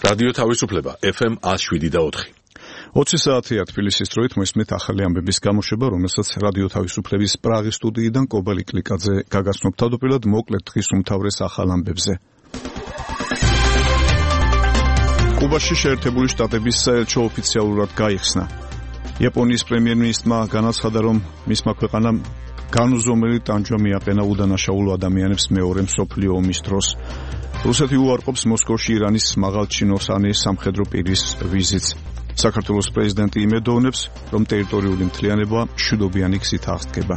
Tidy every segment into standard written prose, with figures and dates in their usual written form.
რადიო თავისუფლება FM 107.4. 20 საათია თბილისის დროით მოსმით ახალი ამბების გამოშვება, რომელსაც რადიო თავისუფლების პრაღის სტუდიიდან კობალ იკლიკაძე გაგაცნობ თავდაპირველად მოკლედ დღის უმთავრეს ახალ ამბებზე. კუბაში შეერთებული შტატების საელჩო ოფიციალურად გაიხსნა. იაპონიის პრემიერ-მინისტრმა განაცხადა, რომ მისმა ქვეყანამ განუზომელი ტანჯვა მიაყენა უდანაშაულო ადამიანებს მეორე მსოფლიო ომის დროს. რუსეთი უარყოფს მოსკოვში ირანის მაღალჩინოსანი სამხედრო პირის ვიზიტს. საქართველოს პრეზიდენტი იმედოვნებს, რომ ტერიტორიული მთლიანობა მშვიდობიანი გზით აღსდგება.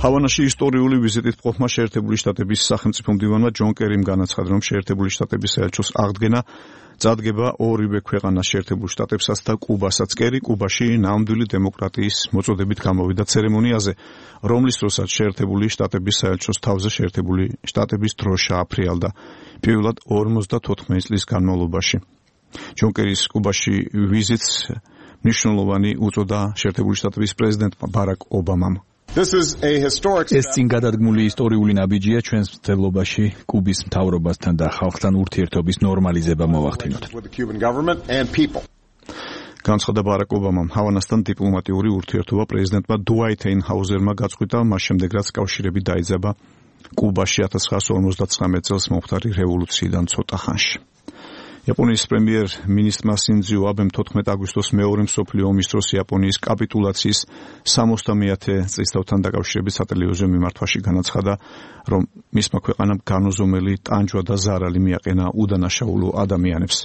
ჰავანაში ისტორიული ვიზიტით მყოფმა შეერთებული შტატების სახელმწიფო მდივანმა ჯონ კერიმ განაცხადა, რომ შეერთებული შტატების საელჩოს აღდგენა წადგება ორივე ქვეყანას შეერთებულ შტატებსაც და კუბასაც. კერი კუბაში ნამდვილი დემოკრატიის მოწოდებით გამოვიდა ცერემონიაზე, რომლის დროსაც შეერთებული შტატების საელჩოს თავზე შეერთებული შტატების დროშა აფრიალდა პირველად 54 წლის განმავლობაში. ჯონ კერის კუბაში ვიზიტს მნიშვნელოვანი უწოდა შეერთებული შტატების პრეზიდენტმა ბარაკ ობამამ. ეს წინგადადგმული ისტორიული ნაბიჯია ჩვენს მცდელობაში კუბის მთავრობასთან და ხალხთან ურთიერთობის ნორმალიზება მოვახდინოთ. განცხადა ბარაკ ობამამ. ჰავანასთან დიპლომატიური ურთიერთობა პრეზიდენტმა დუაიტ ეინჰაუზერმა გაწყვიტა, მას შემდეგ რაც კავშირები დაიძაბა კუბაში 1959 წელს მომხდარი რევოლუციიდან ცოტა ხანში. იაპონიის პრემიერ-მინისტრმა სინძო აბემ 14 აგვისტოს მეორე მსოფლიო ომის დროს იაპონიის კაპიტულაციის 60-ე წლისთავთან დაკავშირებით სატელევიზიო მიმართვაში განაცხადა, რომ მისმა ქვეყანამ განუზომელი ტანჯვა და ზარალი მიაყენა უდანაშაულო ადამიანებს.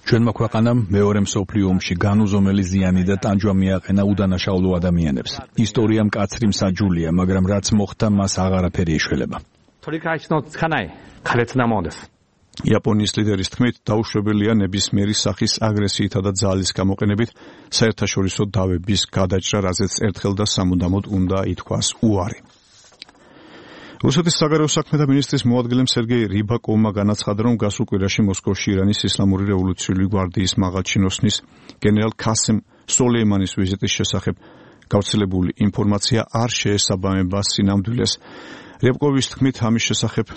ჩვენმა ქვეყანამ მეორე მსოფლიო ომში განუზომელი ზიანი და ტანჯვა მიაყენა უდანაშაულო ადამიანებს. ისტორია მკაცრი მსაჯულია, მაგრამ რაც მოხდა, მას აღარაფერი ეშველება. იაპონიის ლიდერის თქმით, დაუშვებელია ნებისმიერი სახის აგრესიითა და ძალის გამოყენებით საერთაშორისო დავების გადაჭრა, რაზეც ერთხელ და სამუდამოდ უნდა ითქვას უარი. რუსეთის საგარეო საქმეთა მინისტრის მოადგილემ სერგეი რიბაკოვმა განაცხადა, რომ გასულ კვირაში მოსკოვში ირანის ისლამური რევოლუციური გვარდიის მაღალჩინოსნის გენერალ ქასემ სოლეიმანის ვიზიტის შესახებ გავრცელებული ინფორმაცია არ შეესაბამება სინამდვილეს. რიბაკოვის თქმით, ამის შესახებ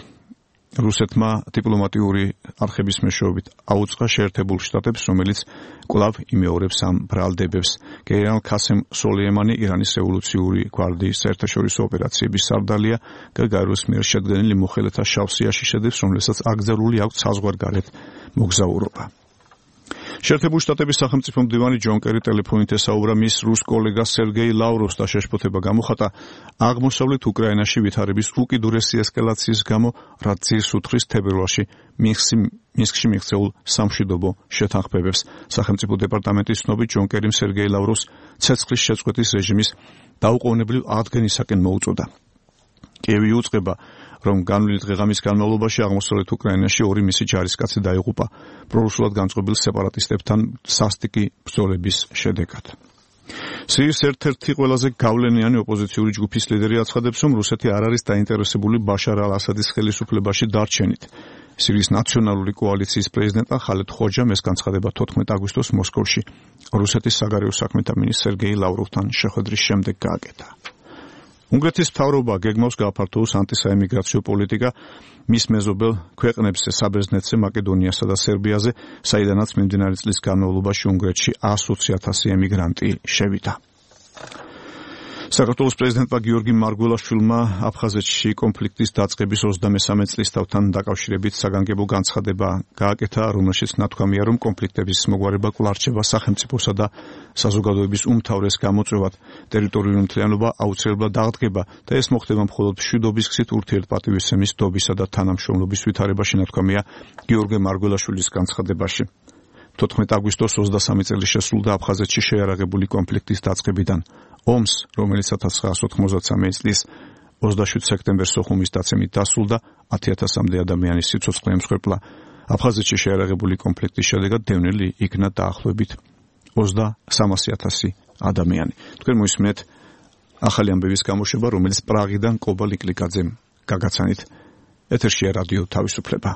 რუსეთმა დიპლომატიური არხების მეშვეობით აუწყა შეერთებულ შტატებს, რომელიც კვლავ იმეორებს ამ ბრალდებებს. გენერალ ქასემ სოლეიმანი ირანის რევოლუციური გვარდიის საერთაშორისო ოპერაციების სარდალია, გაგაროს მიერ შედგენილი მოხელეთა შავსიაში შედის, რომელსაც აკრძალული აქვს საზღვარგარეთ მოგზაურობა. შეერთებული შტატების სახელმწიფო მდივანი ჯონ კერი ტელეფონით ესაუბრა მის რუს კოლეგას სერგეი ლავროვს და შეშფოთება გამოხატა აღმოსავლეთ უკრაინაში ვითარების უკიდურესი ესკალაციის გამო, რაც ძირს უთხრის თებერვალში მინსკში მიღწეულ სამშვიდობო შეთანხმებებს. სახელმწიფო დეპარტამენტის ცნობით ჯონ კერიმ სერგეი ლავროვს ცეცხლის შეწყვეტის რეჟიმის დაუყოვნებლივ აღდგენისაკენ მოუწოდა. კიევი უწყება, რომ განვლილი დღე-ღამის განმავლობაში აღმოსავლეთ უკრაინაში ორი მისი ჯარისკაცი დაიღუპა პრორუსულად განწყობილ სეპარატისტებთან სასტიკი ბრძოლების შედეგად. სირიის ერთ-ერთი ყველაზე გავლენიანი ოპოზიციური ჯგუფის ლიდერი აცხადებს, რომ რუსეთი არ არის დაინტერესებული ბაშარ ალ-ასადის ხელისუფლებაში დარჩენით. სირიის ნაციონალური კოალიციის პრეზიდენტმა ხალედ ხოჯამ ეს განცხადება 14 აგვისტოს მოსკოვში რუსეთის საგარეო საქმეთა მინისტრ სერგეი ლავროვთან შეხვედრის შემდეგ გააკეთა. უნგრეთის მთავრობა გეგმავს გააფართოვოს ანტისაემიგრაციო პოლიტიკა მის მეზობელ ქვეყნებზე, საბერძნეთზე, მაკედონიასა და სერბიაზე, საიდანაც მიმდინარე წლის განმავლობაში უნგრეთში 120,000 ემიგრანტი შევიდა. საქართველოს პრეზიდენტმა გიორგი მარგველაშვილმა აფხაზეთში კონფლიქტის დაწყების 23 წლისთავთან დაკავშირებით საგანგებო განცხადება გააკეთა, რომელშიც ნათქვამია, რომ კონფლიქტების მოგვარება კვლავ რჩება სახელმწიფოსა და საზოგადოების უმთავრეს გამოწვევად. ტერიტორიული მთლიანობა აუცილებლად აღდგება და ეს მოხდება მხოლოდ მშვიდობის გზით ურთიერთპატივისცემის, დობისა და თანამშრომლობის ვითარებაში, ნათქვამია გიორგი მარგველაშვილის განცხადებაში. 14 აგვისტოს 23 წელი შესრულდა აფხაზეთში შეიარაღებული კონფლიქტის დაწყებიდან. ომს, რომელიც 1993 წლის 27 სექტემბერს სოხუმის დაცემით დასრულდა, 10,000-მდე ადამიანის სიცოცხლე ემსხვერპლა. აფხაზეთში შეიარაღებული კონფლიქტის შედეგად დევნილი იქნა დაახლოებით 300,000 ადამიანი. თქვენ მოისმენთ ახალი ამბების გამოშვება, რომელიც პრაღიდან კობალ იკლიკაძემ გაგაცანით. ეთერშია რადიო თავისუფლება.